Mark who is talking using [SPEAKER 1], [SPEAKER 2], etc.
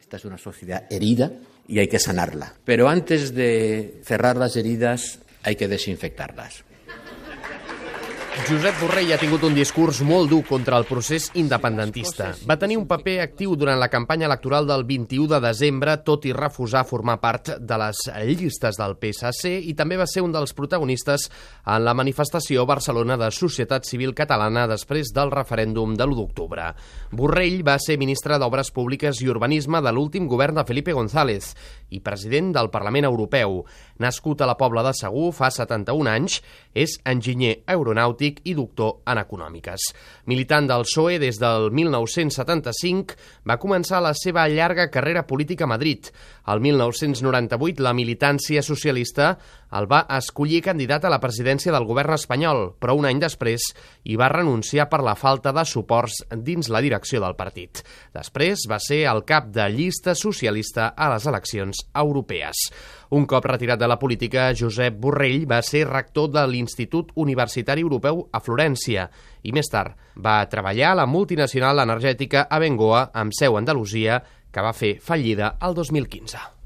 [SPEAKER 1] Esta es una sociedad herida y hay que sanarla. Pero antes de cerrar las heridas hay que desinfectarlas.
[SPEAKER 2] Josep Borrell ha tingut un discurs molt dur contra el procés independentista. Va tenir un paper actiu durant la campanya electoral del 21 de desembre, tot i refusar formar part de les llistes del PSC, i també va ser un dels protagonistes en la manifestació a Barcelona de Societat Civil Catalana després del referèndum de l'1 d'octubre. Borrell va ser ministre d'Obres Públiques i Urbanisme de l'últim govern de Felipe González i president del Parlament Europeu. Nascut a la Pobla de Segur fa 71 anys, és enginyer aeronàutic i doctor en econòmiques. Militant del PSOE des del 1975, va començar la seva llarga carrera política a Madrid. El 1998, la militància socialista el va escollir candidat a la presidència del govern espanyol, però un any després hi va renunciar per la falta de suports dins la direcció del partit. Després va ser el cap de llista socialista a les eleccions europees. Un cop retirat de la política, Josep Borrell va ser rector de l'Institut Universitari Europeu a Florència i més tard va treballar a la multinacional energètica Abengoa amb seu a Andalusia, que va fer fallida el 2015.